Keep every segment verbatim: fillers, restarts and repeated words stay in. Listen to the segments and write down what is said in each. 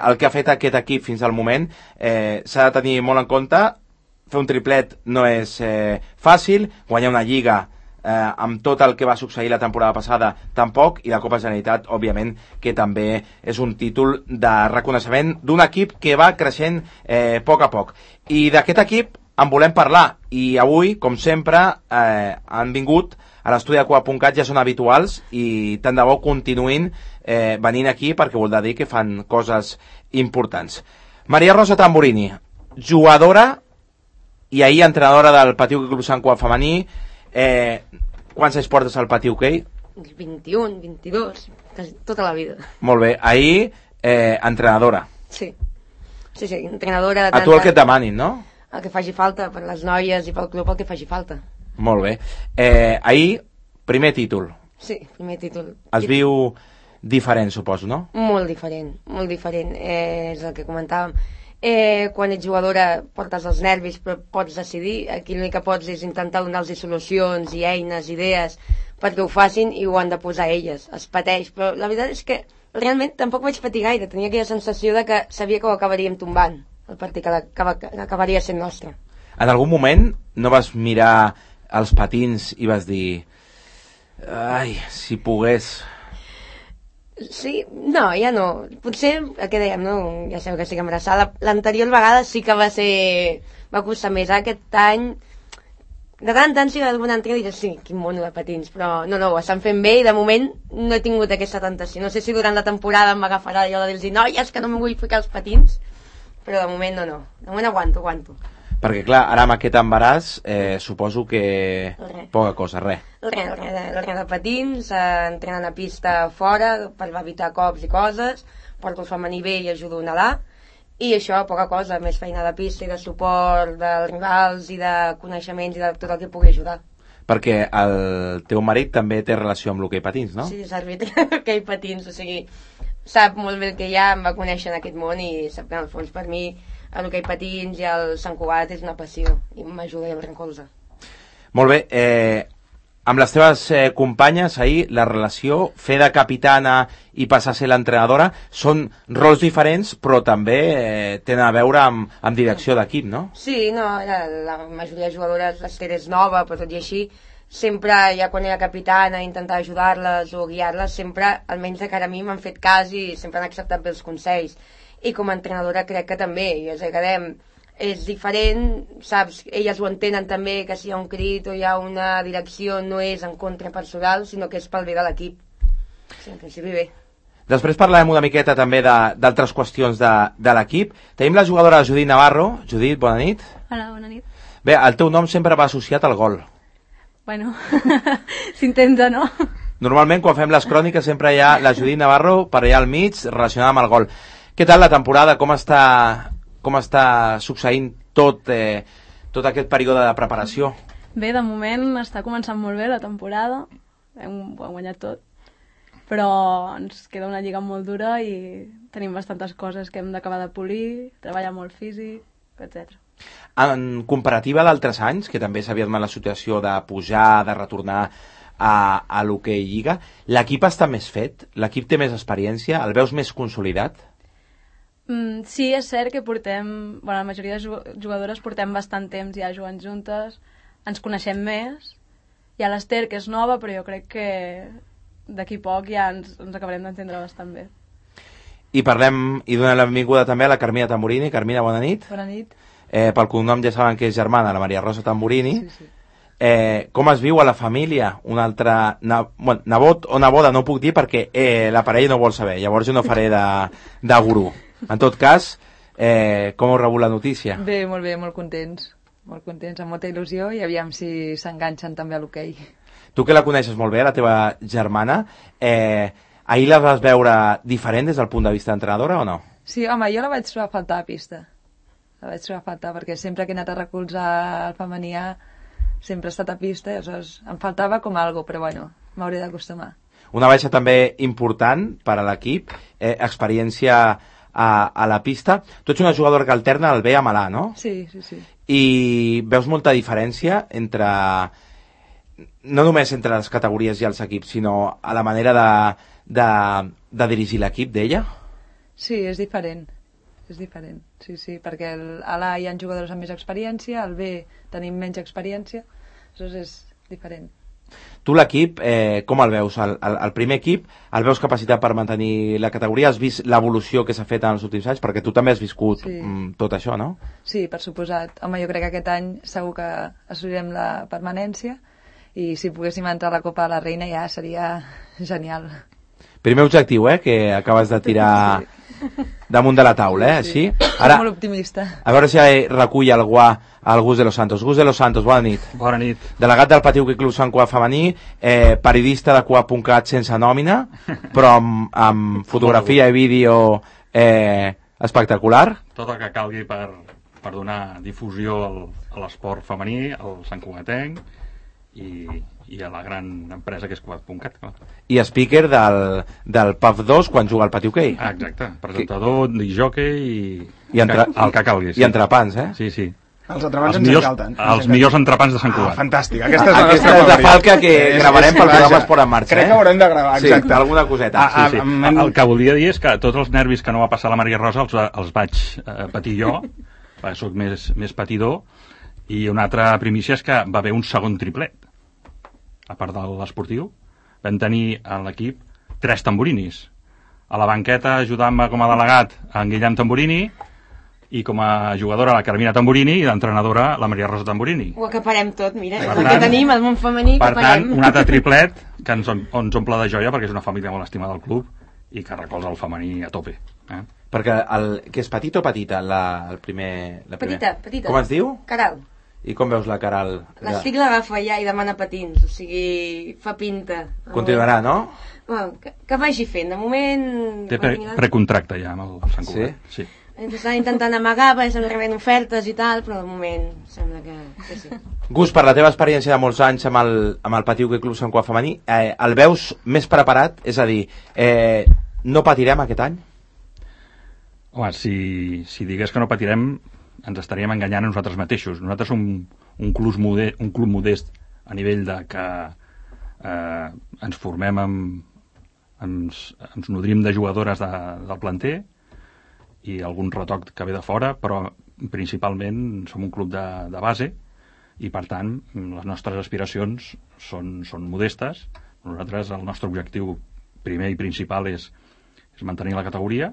el que ha fet aquest equip fins al moment eh, s'ha de tenir molt en compte. Fer un triplet no és eh, fàcil, guanyar una lliga eh, amb tot el que va succeir la temporada passada tampoc, i la Copa Generalitat òbviament que també és un títol de reconeixement d'un equip que va creixent eh, a poc a poc, i d'aquest equip en volem parlar, i avui com sempre eh, han vingut a l'estudi de Cugat punt cat, ja són habituals i tant de bo continuïn eh, venint aquí perquè vol dir que fan coses importants. Maria Rosa Tamburini, jugadora i ahir entrenadora del Patiu Club Sant Cugat femení. Eh, quants anys portes al Patiu Hoquei? vint-i-un, vint-i-dos, quasi tota la vida. Molt bé, ahir eh, entrenadora. Sí, sí, sí, entrenadora. A tu el que et demanin, no? El que faci falta, per les noies i pel club el que faci falta. Molt bé. Eh, ahir, primer títol. Sí, primer títol. Es viu diferent, suposo, no? Molt diferent, molt diferent. Eh, és el que comentàvem. Eh, quan ets jugadora portes els nervis, però pots decidir. Aquí l'únic que pots és intentar donar-los solucions i eines, idees, perquè ho facin i ho han de posar elles. Es pateix, però la veritat és que realment tampoc vaig patir gaire. Tenia aquella sensació de que sabia que ho acabaríem tombant, el partit que, acaba, que acabaria sent nostre. En algun moment no vas mirar els patins i vas dir ai, si pogués... Sí, no, ja no. Potser, el que dèiem, no? Ja sabeu que estic embarassada. L'anterior vegada sí que va ser... va costar més. Aquest any, de tant en tant sí que alguna altra dir sí, quin mono de patins, però no, no, ho estan fent bé i de moment no he tingut aquesta tentació. No sé si durant la temporada m'agafarà allò de dir noies, que no me vull ficar els patins, però de moment no, no. De moment aguanto, aguanto. Perquè clar, ara amb aquest embaràs eh, suposo que Re. poca cosa, res. Res, res, res de patins, eh, entrenant a pista fora per evitar cops i coses, porto el femení bé i ajudo a nedar, i això, poca cosa, més feina de pista i de suport dels rivals i de coneixements i de tot el que pugui ajudar. Perquè el teu marit també té relació amb l'hoquei patins, no? Sí, és àrbitre d'hoquei patins, o sigui, sap molt bé el que hi ha, em va conèixer en aquest món i sap que en el fons per mi l'hoquei patins i el Sant Cugat és una passió i m'ajuda i em recolza. Molt bé, eh, amb les teves eh, companyes ahir, la relació, fer de capitana i passar a ser l'entrenadora, són rols diferents però també eh, tenen a veure amb, amb direcció d'equip, no? Sí, no, la, la majoria de jugadores, l'Ester és nova, però tot i així, sempre, ja quan era capitana, intentar ajudar-les o guiar-les, sempre, almenys de cara a mi, m'han fet cas i sempre han acceptat bé els consells. I com a entrenadora crec que també, i els agradem, és diferent, saps, elles ho entenen també, que si hi ha un crit o hi ha una direcció no és en contra personal, sinó que és pel bé de l'equip. Sí, en principi bé. Després parlarem una miqueta també d'altres qüestions de, de l'equip. Tenim la jugadora Judit Navarro. Judit, bona nit. Hola, bona nit. Bé, el teu nom sempre va associat al gol. Bueno, s'intenta, no? Normalment quan fem les cròniques sempre hi ha la Judit Navarro per allà al mig relacionada amb el gol. Què tal la temporada? Com està, com està succeint tot, eh, tot aquest període de preparació? Bé, de moment està començant molt bé la temporada. Hem, ho hem guanyat tot. Però ens queda una lliga molt dura i tenim bastantes coses que hem d'acabar de polir, treballar molt físic, etcètera. En comparativa d'altres anys, que també s'havia donat la situació de pujar, de retornar a, a l'hoquei lliga, l'equip està més fet? L'equip té més experiència? El veus més consolidat? Mm, sí, és cert que portem, bueno, la majoria de jugadores portem bastant temps ja jugant juntes, ens coneixem més, hi ha l'Ester que és nova, però jo crec que d'aquí poc ja ens, ens acabarem d'entendre bastant bé. I parlem, i donem la benvinguda també a la Carmina Tamburini. Carmina, bona nit. Bona nit. Eh, pel cognom ja saben que és germana, la Maria Rosa Tamburini. Sí, sí. Eh, com es viu a la família un altre na, bueno, nebot o neboda, no puc dir perquè eh, la parella no vol saber, llavors jo no faré de, de gurú. En tot cas, eh, com heu rebut la notícia? Bé, molt bé, molt contents, molt contents, amb molta il·lusió, i aviam si s'enganxen també a l'hoquei. Tu que la coneixes molt bé, la teva germana, eh, ahir la vas veure diferent des del punt de vista d'entrenadora o no? Sí, home, jo la vaig trobar a faltar a pista, la vaig trobar a faltar, perquè sempre que he anat a recolzar el femenià sempre he estat a pista, i aleshores em faltava com algo, però bueno, m'hauré d'acostumar. Una baixa també important per a l'equip, eh, experiència a, a la pista. Tu ets una jugadora que alterna el B amb l'A, no? Sí, sí, sí. I veus molta diferència entre, no només entre les categories i els equips, sinó a la manera de, de, de dirigir l'equip d'ella? Sí, és diferent. És diferent, sí, sí, perquè el- a l'A hi ha jugadors amb més experiència, al B tenim menys experiència, aleshores és diferent. Tu l'equip, eh, com el veus? El, el, el primer equip, el veus capacitat per mantenir la categoria? Has vist l'evolució que s'ha fet en els últims anys? Perquè tu també has viscut Sí. mm, tot això, no? Sí, per suposat. Home, jo crec que aquest any segur que assolirem la permanència i si poguéssim entrar a la Copa de la Reina ja seria genial. Primer objectiu, eh, que acabes de tirar damunt de la taula, eh, així. Ara... Molt optimista. A veure si recull el guà al Gus de los Santos. Gus de los Santos, bona nit. Bona nit. Delegat del Patiu Club Sant Cugat femení, eh, periodista de Cugat punt cat sense nòmina, però amb, amb fotografia i vídeo eh, espectacular. Tot el que calgui per, per donar difusió al, a l'esport femení, al Sant Cugatenc i, i a la gran empresa que és Cugat punt cat. I speaker del, del P A F dos quan juga al Patiu Hoquei. Ah, exacte. Presentador, disjockey i, I entre, el que calgui. Sí. I entrepans, eh? Sí, sí. Els entrepans Els ens millors, encanten. els millors entrepans de Sant Ah, Cugat. fantàstic. Aquesta és la Aquesta nostra és de favorita. falca que És- gravarem és- pel programa vaja, Esport en Marxa. Crec eh? que haurem de gravar, Sí, exacte. alguna coseta. Ah, Sí, sí. em- El que volia dir és que tots els nervis que no va passar la Maria Rosa els, els vaig eh, patir jo, perquè soc més, més patidor, i una altra primícia és que va haver un segon triplet. A part de l'esportiu, vam tenir a l'equip tres tamborinis. A la banqueta ajudant-me com a delegat en Guillem Tamborini, i com a jugadora la Carmina Tamborini i d'entrenadora la Maria Rosa Tamborini. Ho acaparem tot, mira, Per el que tant- tenim, el món femení, Per acaparem. tant, un altre triplet que ens, ens omple de joia perquè és una família molt estimada del club i que recolza el femení a tope. Eh? Perquè el, que és petit o petita la, el primer, la primer... Petita, petita. Com es diu? Caral. I com veus la Caral? L'estic l'agafa ja i demana patins, o sigui, fa pinta. Continuarà, no? Bueno, que, que vagi fent, de moment... Té pre precontracte ja amb el Sant Cugat. Sí? Sí. Està intentant amagar, perquè estan rebent ofertes i tal, però de moment sembla que, que sí. Gus, per la teva experiència de molts anys amb el, amb el Patiu Club Sant Cugat femení, eh, el veus més preparat? És a dir, eh, no patirem aquest any? Home, si, si digués que no patirem, ens estaríem enganyant a nosaltres mateixos. Nosaltres som un club modest, un club modest a nivell de que eh, ens formem amb, ens, ens nodrim de jugadores de, del planter i algun retoc que ve de fora, però principalment som un club de, de base i per tant les nostres aspiracions són, són modestes. Nosaltres el nostre objectiu primer i principal és, és mantenir la categoria.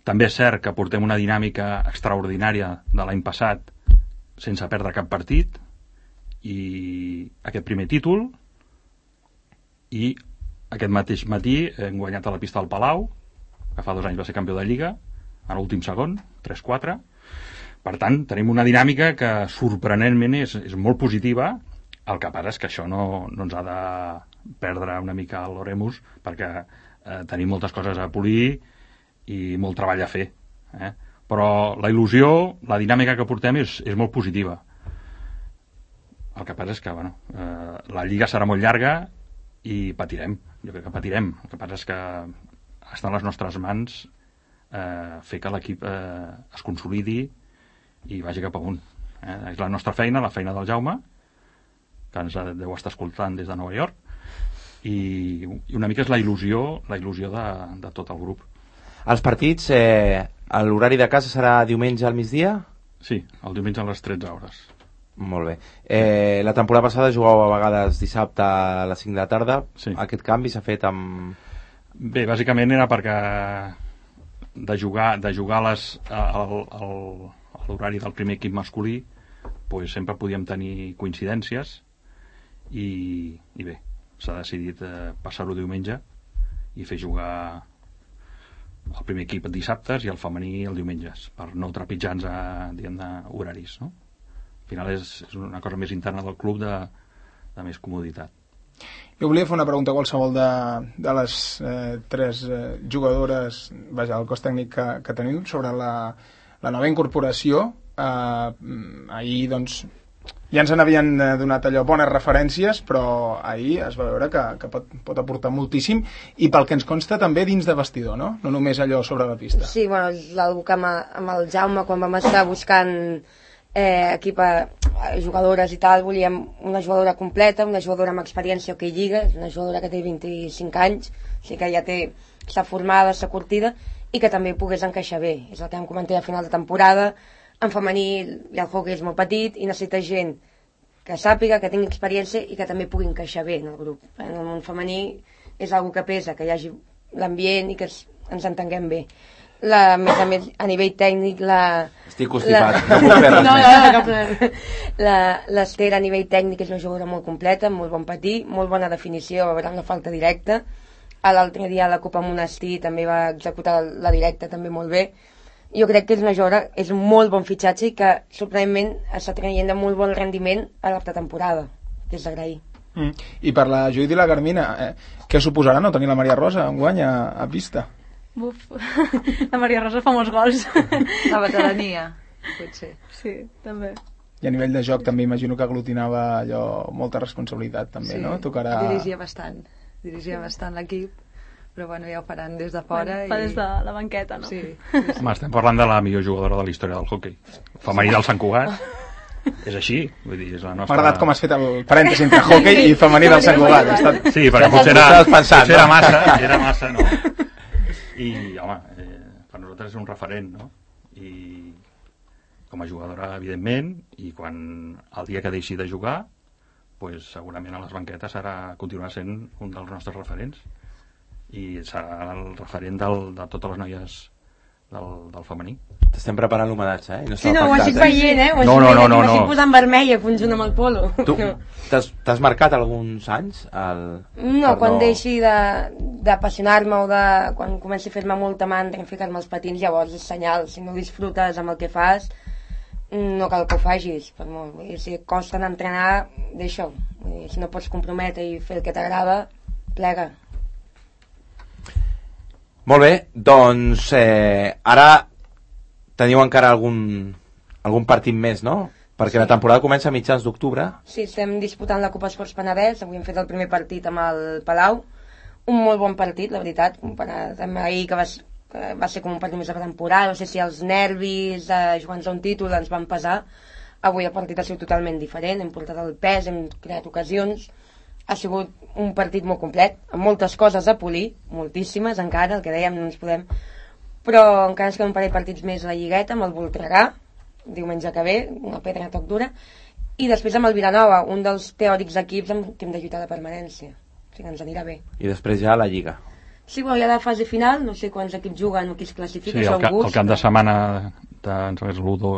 També és cert que portem una dinàmica extraordinària de l'any passat sense perdre cap partit i aquest primer títol i aquest mateix matí hem guanyat a la pista del Palau, que fa dos anys va ser campió de Lliga, a l'últim segon, tres quatre. Per tant, tenim una dinàmica que sorprenentment és, és molt positiva. El que passa és que això no, no ens ha de perdre una mica l'oremus perquè eh, tenim moltes coses a polir i molt treball a fer. Eh? Però la il·lusió, la dinàmica que portem és, és molt positiva. El que passa és que bueno, eh, la Lliga serà molt llarga i patirem. Jo crec que patirem. El que passa és que està a les nostres mans eh, fer que l'equip eh, es consolidi i vagi cap amunt. Eh? És la nostra feina, la feina del Jaume, que ens deu estar escoltant des de Nova York, i, i una mica és la il·lusió, la il·lusió de, de tot el grup. Els partits, eh, l'horari de casa serà diumenge al migdia? Sí, el diumenge a les tretze hores. Molt bé. Eh, la temporada passada jugàveu a vegades dissabte a les cinc de la tarda. Sí. Aquest canvi s'ha fet amb... Bé, bàsicament era perquè de jugar, de jugar a les, al, al, a l'horari del primer equip masculí pues sempre podíem tenir coincidències i, i bé, s'ha decidit eh, passar-ho diumenge i fer jugar el primer equip dissabtes i el femení el diumenges, per no trepitjar-nos a, diguem-ne, horaris, no? Al final és, és una cosa més interna del club de, de més comoditat. Jo volia fer una pregunta a qualsevol de, de les eh, tres eh, jugadores, vaja, el cos tècnic que, que tenim sobre la, la nova incorporació. Eh, ahir, doncs, ja ens n'havien donat allò bones referències, però ahir es va veure que, que pot, pot aportar moltíssim, i pel que ens consta també dins de vestidor, no? No només allò sobre la pista. Sí, bueno, l'algú que amb, amb el Jaume, quan vam estar buscant eh, equip a, a jugadores i tal, volíem una jugadora completa, una jugadora amb experiència que hi lliga, una jugadora que té vint-i-cinc anys, o sigui que ja té, està formada, està curtida, i que també pogués encaixar bé. És el que em comenté a final de temporada. En femení i el hockey és molt petit i necessita gent que sàpiga, que tingui experiència i que també pugui encaixar bé en el grup. En el món femení és una que pesa, que hi hagi l'ambient i que ens entenguem bé. La, a més a més, a nivell tècnic, la... Estic constipat, la... no puc fer res no, més. no, no, no. L'Ester a nivell tècnic és una jugadora molt completa, molt bon patí, molt bona definició, a veure la falta directa. L'altre dia a la Copa Monestir també va executar la directa també molt bé. Jo crec que és una jugadora, és un molt bon fitxatge i que sorprenentment està traient de molt bon rendiment a l'altra temporada, que és d'agrair. Mm. I per la Judit i la Carmina, eh, què suposarà no tenir la Maria Rosa enguany a, a pista? Buf, la Maria Rosa fa molts gols. La veterania, potser. Sí, també. I a nivell de joc també imagino que aglutinava allò, molta responsabilitat també, Sí, no? Tocarà... dirigia bastant, dirigia bastant l'equip, però bueno, ja ho faran des de fora. Fa i... des de la banqueta, no? Sí, sí, sí. Home, estem parlant de la millor jugadora de la història del hoquei. Femení del Sant Cugat. És així, vull dir, és la nostra... M'ha agradat com has fet el parèntesi entre hockey i femení del Sant Cugat. Ha estat... Sí, perquè potser era, potser era massa, era massa, no? I, home, eh, per nosaltres és un referent, no? I com a jugadora, evidentment, i quan el dia que deixi de jugar, pues, segurament a les banquetes serà, continuarà sent un dels nostres referents. I serà el referent del, de totes les noies del, del femení. T'estem preparant l'homenatge, eh? No Sí, no, ho estic veient, eh? Ho No, no, no, no, M'estic no. posant vermella, conjunt amb el polo. Tu t'has t'has marcat alguns anys? El... No, per quan deixi de- d'apassionar-me o de... quan comenci a fer-me molta mandra en ficar-me els patins, llavors és senyal. Si no disfrutes amb el que fas, no cal que ho facis. Per molt. Vull dir, si et costa anar a entrenar, deixa-ho. Vull dir, si no pots comprometre i fer el que t'agrada, plega. Molt bé, doncs eh, ara teniu encara algun, algun partit més, no? Perquè la temporada comença a mitjans d'octubre. Sí, estem disputant la Copa Esports Penedès. Avui hem fet el primer partit amb el Palau. Un molt bon partit, la veritat, comparat amb ahir, que va, s- que va ser com un partit més de temporada. No sé si els nervis de jugar-nos a un títol ens van pesar. Avui el partit ha sigut totalment diferent. Hem portat el pes, hem creat ocasions. Ha sigut un partit molt complet, amb moltes coses a polir, moltíssimes encara, el que dèiem, no ens podem... Però encara ens queden un parell de partits més a la Lligueta, amb el Voltregà, diumenge que ve, una pedra toc dura, i després amb el Vilanova, un dels teòrics equips amb què hem de lluitar de permanència. O sigui, ens anirà bé. I després ja la Lliga. Sí, bueno, hi ha la fase final, no sé quants equips juguen o qui es classifica, Sí, això el, ca, gust. el cap de setmana de, em sembla que és l'u do-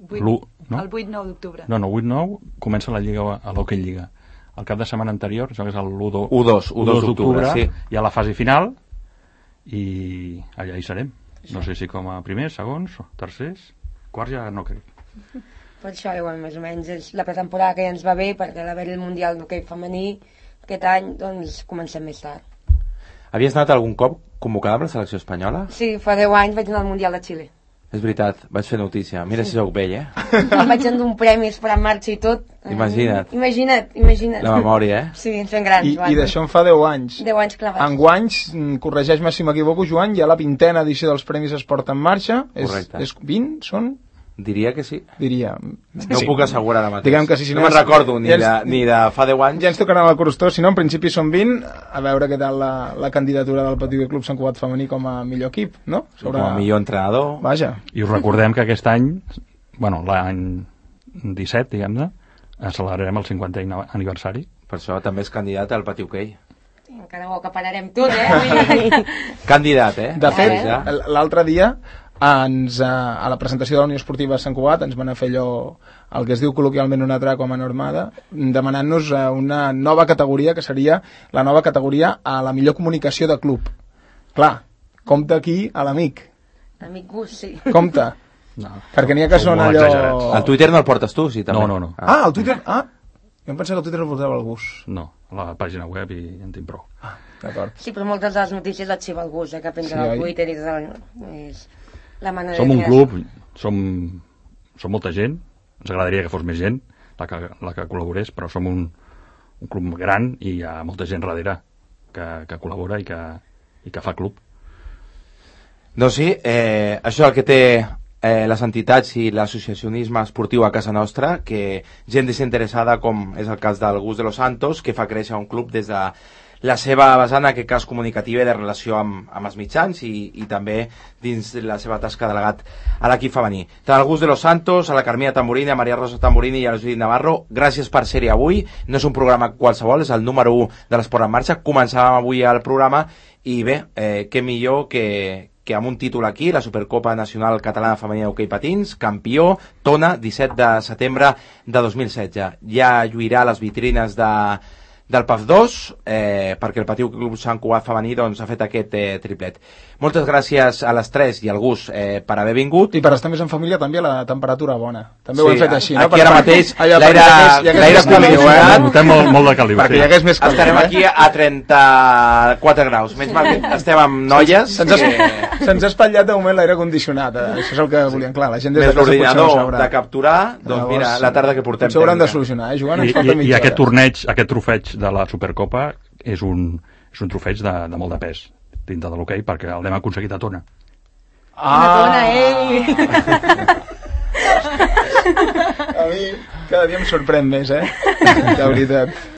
Vuit- l'u, no? El vuit nou d'octubre. No, no, vuit nou comença la Lliga, a l'Hockey Lliga. El cap de setmana anterior, això que és el l'u do- u dos, u dos d'octubre, sí. hi ha la fase final i allà hi serem. No sé si com a primers, segons, tercers, quarts ja no crec. Per això, bueno, més o menys, és la pretemporada que ja ens va bé, perquè a l'haver el Mundial d'hoquei femení aquest any, doncs comencem més tard. Havies anat algun cop convocada amb la selecció espanyola? Sí, fa deu anys vaig anar al Mundial de Xile. És veritat, vaig fer notícia. Mira si sóc vell, eh? Em vaig endur un premi esperant marxa i tot. Imagina't. Imagina't, imagina't. La memòria, eh? Sí, ens fem grans, I, Joan. i d'això en fa deu anys. deu anys clavats. Enguanys, mm, corregeix-me si m'equivoco, Joan, ja la vintena edició dels Premis Esport en Marxa. És, Correcte. és vint, són? Diria que sí. Diria. No ho puc assegurar ara mateix. Diguem que sí, si no no me'n és- recordo ni, ja ens- de, ni de fa deu anys. Ja ens tocarà el crostó, si no, en principi són vint, a veure què tal la, la candidatura del Petit Club Sant Cugat femení com a millor equip, no? Com a millor entrenador. Vaja. I us recordem que aquest any, bueno, l'any disset, diguem-ne, celebrarem el cinquantè aniversari. Per això també és candidat al Pati Hoquei. Encara ho acapararem tot, eh? Candidat, eh? De fet, Ja. l'altre dia ens, eh, a la presentació de la Unió Esportiva Sant Cugat ens van a fer allò, el que es diu col·loquialment una traca com a normada, demanant-nos eh, una nova categoria que seria la nova categoria a la millor comunicació de club. Clar, compta aquí a l'amic, Amic Gus, sí. compta, No. perquè n'hi ha que Són són molt allò... exagerats. Al Twitter no el portes tu, sí, també. No, no, no. Ah, el Twitter... Ah, jo em pensava que el Twitter el portava el Gus. No, a la pàgina web i en tinc prou. D'acord. Sí, però moltes de les notícies les xiva el Gus, eh, que penja Sí, sí, oi? al Twitter i tot. És la manera Som de un crear. club, som, som molta gent, ens agradaria que fos més gent la que, la que col·laborés, però som un, un club gran i hi ha molta gent darrere que, que col·labora i que, i que fa club. Doncs sí, eh, això és el que té eh, les entitats i l'associacionisme esportiu a casa nostra, que gent desinteressada, com és el cas del Gus de los Santos, que fa créixer un club des de la seva vessant, en aquest cas comunicativa i de relació amb, amb els mitjans i, i també dins la seva tasca de delegat a l'equip femení. Tant al Gus de los Santos, a la Carmina Tamburini, a Maria Rosa Tamburini i a la Judit Navarro, gràcies per ser-hi avui. No és un programa qualsevol, és el número u de l'Esport en Marxa. Començàvem avui el programa i bé, eh, què millor que, que amb un títol aquí, la Supercopa Nacional Catalana Femenina d'Hoquei Patins, campió, Tona, disset de setembre de dos mil setze. Ja lluirà les vitrines de, del P A F dos, eh, perquè el Patiu Club Sant Cugat femení doncs, ha fet aquest eh, triplet. Moltes gràcies a les tres i al Gus eh, per haver vingut. I per estar més en família també la temperatura bona. També sí, ho hem fet així, no? Aquí ara mateix l'aire està millor. Notem molt, molt de caliu. Perquè hi hagués més caliu. Estarem aquí a trenta-quatre graus. Menys mal que estem amb noies. Se'ns que... se ha espatllat de moment l'aire condicionat. Això és el que volien, clar. La gent des més de casa l'ordinador no de capturar, doncs Llavors, mira, la tarda que portem. Potser hauran de solucionar, eh, Joan? I, i, i aquest torneig, aquest trofeig de la Supercopa és un, és un trofeig de, de molt de pes dintre de l'hoquei, perquè l'hem aconseguit a Tona. Ah! A Tona, ei! A mi cada dia em sorprèn més, eh? De veritat.